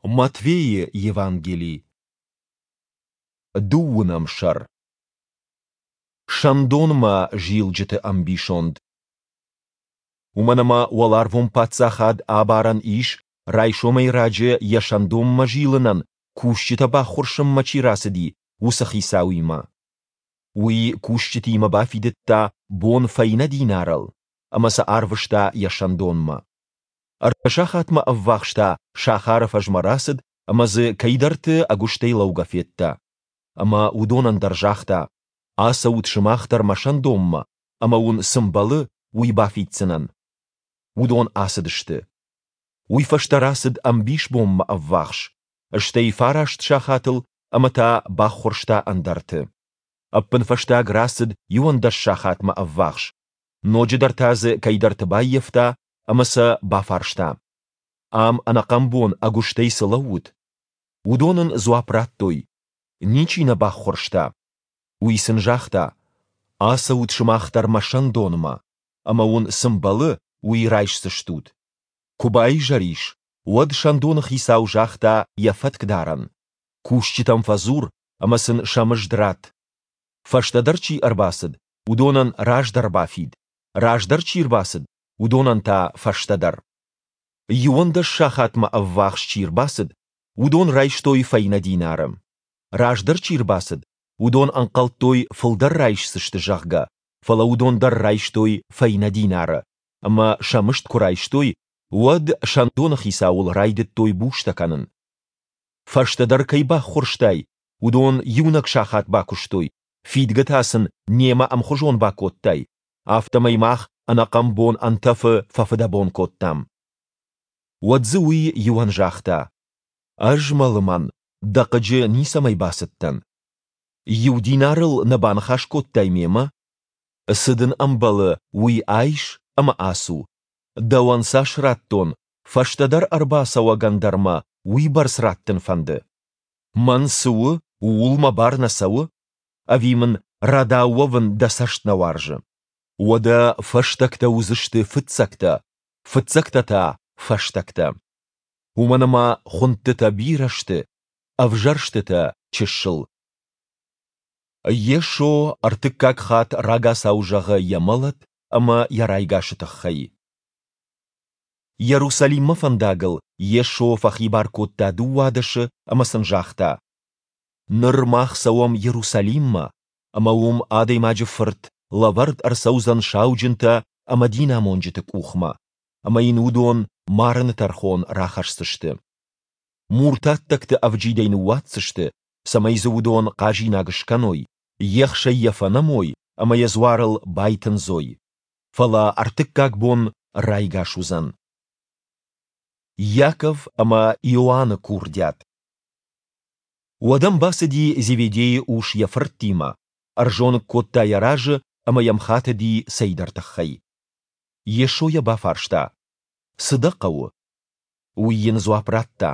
Матвейы Евангели, дыууынӕм сӕр. Сӕндонмӕ зилджыты ӕмбисонд. Уымӕн ӕмӕ уӕларвон паддзахад абарӕн ис, райсомӕй раджы йӕ сӕндонмӕ зилынӕн кусджытӕ баххуырсынмӕ чи рацыди, уыцы хицауимӕ. Уый кусджытимӕ бафидыдта бон фӕйнӕ динарыл ӕмӕ сӕ арвыста йӕ сӕндонмӕ. Ӕртӕ сахатмӕ ӕввахс та сахары фӕзмӕ рацыд ӕмӕ дзы кӕйдӕрты ӕгуыстӕй лӕугӕ федта. Ӕмӕ уыдонӕн дӕр загъта, Ацӕут сымах дӕр мӕ сӕндонмӕ, ӕмӕ уын цы мбӕлы, уый бафиддзынӕн. Уыдон ацыдысты. Уый фӕстӕ рацыд ӕмбисбонмӕ ӕввахс, стӕй фараст сахатыл ӕмӕ та баххуырста ӕндӕрты. Ӕппынфӕстаг рацыд 11 сахатмӕ ӕввахс, ноджыдӕр та дзы кӕйдӕрты баййӕфта ӕмӕ сӕ бафарста, Ам ӕнӕхъӕн бон ӕгуыстӕй цы лӕуут? Уыдон ын дзуапп радтой, Ничи нӕ баххуырста. Уый сын загъта, Ацӕут сымах дӕр мӕ сӕндонмӕ, ӕмӕ уын цы мбӕлы, уый райсдзыстут. Куы баизӕр ис, уӕд сӕндоны хицау загъта йӕ фӕткдарӕн, Кусджытӕм фӕдзур ӕмӕ сын сӕ мызд ратт. Фӕстӕдӕр чи ӕрбацыд, уыдонӕн раздӕр бафид, раздӕр чи рбацыд, уыдонӕн та фӕстӕдӕр. 11 сахатмӕ ӕввахс чи рбацыд, уыдон райстой фӕйнӕ динары. Раздӕр чи рбацыд, уыдон ӕнхъӕлдтой, фылдӕр райсдзысты, зӕгъгӕ, фӕлӕ уыдон дӕр райстой фӕйнӕ динары, ӕмӕ сӕ мызд куы райстой, уӕд сӕндоны хицауыл райдыдтой бустӕ кӕнын. Фӕстӕдӕр кӕй баххуырстай, уыдон иунӕг сахат бакуыстой, фидгӕ та сын немӕ ӕмхуызон бакодтай, афтӕмӕй мах ӕнӕхъӕн бон ӕнтӕфы фӕфыдӕбон кодтам. Уӕд дзы уый иуӕн загъта, Ӕз, мӕ лымӕн, дӕ хъыджы ницӕмӕй бацыдтӕн. Иу динарыл нӕ баныхас кодтай мемӕ? Цы дын ӕмбӕлы, уый айс ӕмӕ ацу. Дӕуӕн цас радтон, фӕстӕдӕр ӕрбацӕуӕгӕн дӕр мӕ уыйбӕрц раттын фӕнды. Мӕн цы у, ууыл мӕ бар нӕ цӕуы? Ӕви мын рӕдау уӕвын дӕ цӕст нӕ уарзы? Уӕдӕ фӕстӕгтӕ уыдзысты фыццӕгтӕ, фыццӕгтӕ та фӕстӕгтӕ. Уымӕн ӕмӕ хуындтытӕ бирӕ сты, ӕвзӕрстытӕ чысыл. Йесо ӕртыккаг хатт рагацау зӕгъы йӕ мӕлӕт ӕмӕ йӕ райгасы тыххӕй. Иерусалиммӕ фӕндагыл Йесо фӕхибар кодта дыууадӕсы ӕмӕ сын загъта: Ныр мах цӕуӕм Иерусалиммӕ, ӕмӕ уым Адӕймаджы Фырт лӕвӕрд ӕрцӕудзӕн сауджынтӕ ӕмӕ динамонджыты къухмӕ, ӕмӕ йын уыдон марыны тӕрхон рахӕсдзысты. Муртаттӕгты ӕвджидӕй ныууадздзысты, цӕмӕй дзы уыдон хъазинаг скӕной, ехсӕй йӕ фӕнӕмой ӕмӕ йӕ дзуарыл байтындзой. Фӕлӕ ӕртыккаг бон райгас уыдзӕн. Иаков ӕмӕ Иоанны курдиат. Уӕд ӕм бацыди Зеведейы ус йӕ фырттимӕ, ӕрзоныг кодта йӕ разы ӕмӕ йӕм хатыди цӕйдӕр тыххӕй. Йесо йӕ бафарста, Цы дӕ хъӕуы? Уый йын дзуапп радта,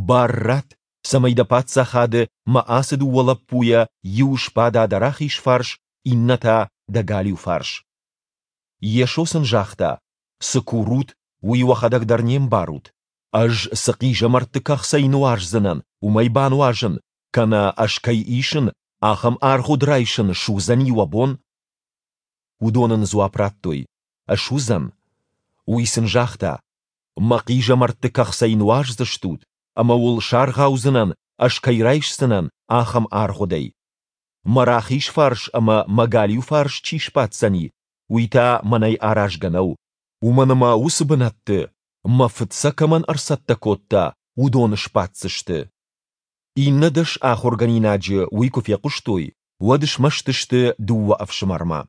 Бар ратт, цӕмӕй дӕ паддзахады мӕ ацы дыууӕ лӕппуйӕ иу сбада дӕ рахиз фарс, иннӕ та дӕ галиу фарс. Йесо сын загъта, Цы курут, уый уӕхӕдӕг дӕр не мбарут. Ӕз цы хъизӕмӕртты кӕхцӕй нуаздзынӕн, уымӕй бануазын, кӕнӕ ӕз кӕй исын, ахӕм аргъуыд райсын суыдзӕни уӕ бон? Уыдон ын дзуапп радтой, Суыдзӕн. Уый сын загъта, Мӕ хъизӕмӕртты кӕхцӕй нуаздзыстут, ӕмӕ уыл саргъаудзынӕн, ӕз кӕй райсдзынӕн, ахӕм аргъуыдӕй. Мӕ рахиз фарс ӕмӕ мӕ галиу фарс чи сбаддзӕни, уый та мӕнӕй аразгӕ нӕу, уымӕн ӕмӕ уыцы бынӕтты, мӕ Фыд сӕ кӕмӕн ӕрцӕттӕ кодта, уыдон сбаддзысты. Иннӕ дӕс ахуыргӕнинаджы уый куы фехъуыстой, уӕд смӕсты сты дыууӕ ӕфсымӕрмӕ.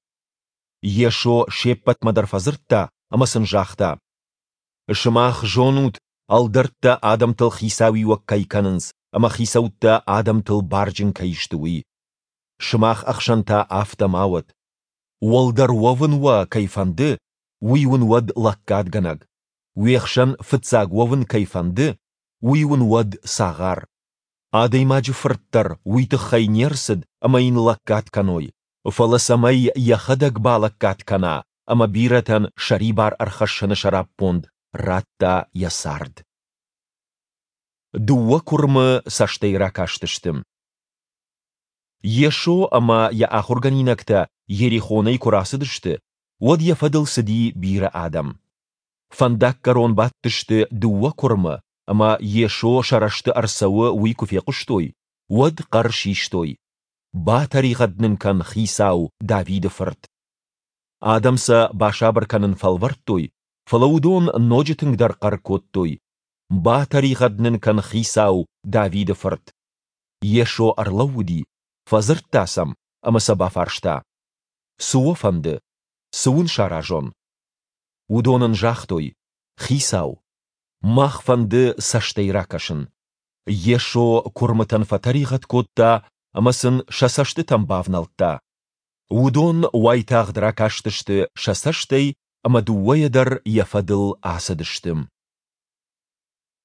Йесо се ппӕтмӕ дӕр фӕдзырдта ӕмӕ сын загъта: Сымах зонут, ӕлдӕрттӕ адӕмтыл хицауиуӕг кӕй кӕнынц ӕмӕ хицӕуттӕ адӕмтыл барджын кӕй сты, уый. Сымах ӕхсӕн та афтӕ ма уӕд. Уӕлдӕр уӕвын уӕ кӕй фӕнды, уый уын уӕд лӕггадгӕнӕг. Уе хсӕн фыццаг уӕвын кӕй фӕнды, уый уын уӕд цагъар. Адӕймаджы Фырт дӕр уый тыххӕй не рцыд, ӕмӕ йын лӕггад кӕной, фӕлӕ цӕмӕй йӕхӕдӕг балӕггад кӕна ӕмӕ бирӕтӕн сӕрибар ӕрхӕссыны сӕраппонд радта йӕ цард. Дыууӕ куырмы цӕстӕй ракастысты. Йесо ӕмӕ йӕ ахуыргӕнинӕгтӕ Иерихонӕй куы рацыдысты, уӕд йӕ фӕдыл цыди бирӕ адӕм. Фӕндаггӕрон бадтысты дыууӕ куырмы, ӕмӕ Йесо сӕ рӕзты ӕрцӕуы, уый куы фехъуыстой, уӕд хъӕр систой, Батӕригъӕд нын кӕн, Хицау, Давиды Фырт! Адӕм сӕ басабыр кӕнын фӕлвӕрдтой, фӕлӕ уыдон ноджы тынгдӕр хъӕр кодтой, Батӕригъӕд нын кӕн, Хицау, Давиды Фырт! Йесо ӕрлӕууыди, фӕдзырдта сӕм ӕмӕ сӕ бафарста, Цы уӕ фӕнды? Цы уын саразон? Уыдон ын загътой, Хицау, мах фӕнды цӕстӕй ракӕсын. Йесо куырмытӕн фӕтӕригъӕд кодта ӕмӕ сын сӕ цӕстытӕм бавнӕлдта. Уыдон уайтагъд ракастысты сӕ цӕстӕй ӕмӕ дыууӕйӕ дӕр йӕ фӕдыл ацыдысты.